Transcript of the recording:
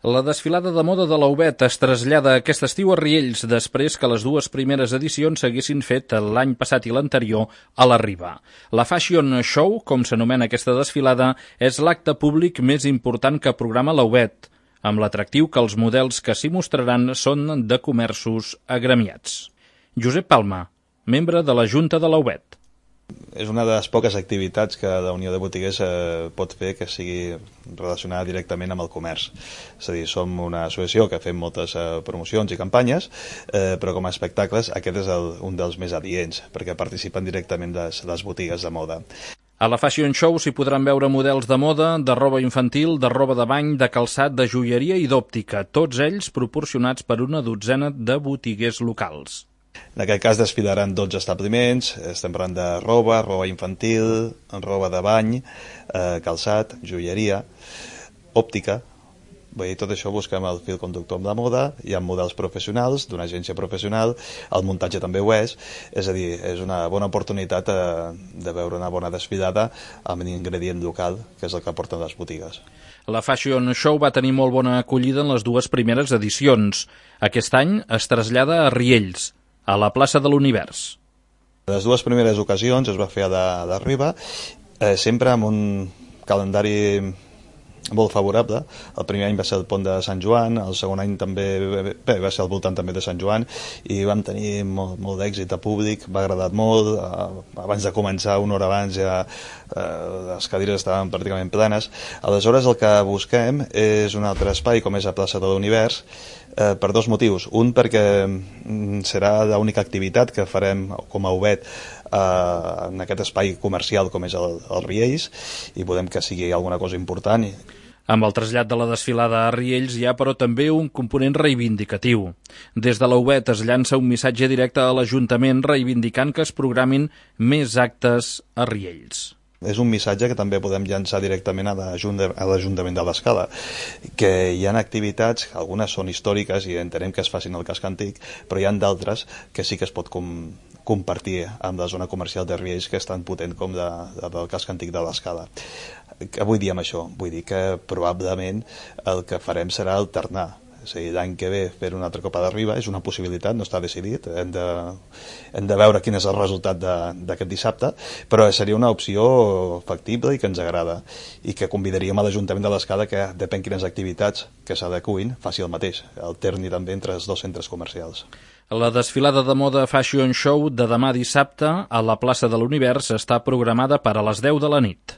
La desfilada de moda de l'Aubet es trasllada aquest estiu a Riells després que les dues primeres edicions s'haguessin fet l'any passat i l'anterior a la Riba. La Fashion Show, com s'anomena aquesta desfilada, és l'acte públic més important que programa l'Aubet, amb l'atractiu que els models que s'hi mostraran són de comerços agremiats. Josep Palma, membre de la Junta de l'Aubet. És una de les poques activitats que la Unió de Botiguers pot fer que sigui relacionada directament amb el comerç. És a dir, som una associació que fem moltes promocions i campanyes, però com a espectacles aquest és un dels més adients, perquè participen directament les botigues de moda. A la Fashion Show s'hi podran veure models de moda, de roba infantil, de roba de bany, de calçat, de joieria i d'òptica, tots ells proporcionats per una dotzena de botiguers locals. En aquest cas desfilaran 12 establiments, estem parlant de roba infantil, roba de bany, calçat, joieria, òptica. Vull dir, tot això busquem el fil conductor amb la moda, hi ha models professionals, d'una agència professional, el muntatge també ho és a dir, és una bona oportunitat de veure una bona desfilada amb un ingredient local, que és el que aporten les botigues. La Fashion Show va tenir molt bona acollida en les dues primeres edicions. Aquest any es trasllada a Riells, a la plaça de l'Univers. Les dues primeres ocasions es va fer a la Riba, sempre amb un calendari molt favorable. El primer any va ser el pont de Sant Joan, el segon any també va ser al voltant també de Sant Joan, i vam tenir molt d'èxit de públic, va agradar molt. Abans de començar, una hora abans, ja les cadires estaven pràcticament plenes. Aleshores el que busquem és un altre espai, com és la plaça de l'Univers, per dos motius. Un, perquè serà l'única activitat que farem com a Aubet en aquest espai comercial com és el Riells, i volem que sigui alguna cosa important. Amb el trasllat de la desfilada a Riells hi ha, però, també un component reivindicatiu. Des de l'Aubet es llança un missatge directe a l'Ajuntament reivindicant que es programin més actes a Riells. És un missatge que també podem llançar directament a l'Ajuntament de l'Escala, que hi ha activitats, algunes són històriques i entenem que es facin al casc antic, però hi ha d'altres que sí que es pot compartir amb la zona comercial de Riells, que és tan potent com del casc antic de l'Escala. Què vull dir amb això? Vull dir que probablement el que farem serà alternar. És a dir, l'any que ve fer una altra Copa de Riba és una possibilitat, no està decidit, hem de veure quin és el resultat d'aquest dissabte, però seria una opció factible i que ens agrada, i que convidaríem a l'Ajuntament de l'Escala que, depèn quines activitats que s'adecuïn, faci el mateix, alterni també entre els dos centres comercials. La desfilada de moda Fashion Show de demà dissabte a la plaça de l'Univers està programada per a les 10 de la nit.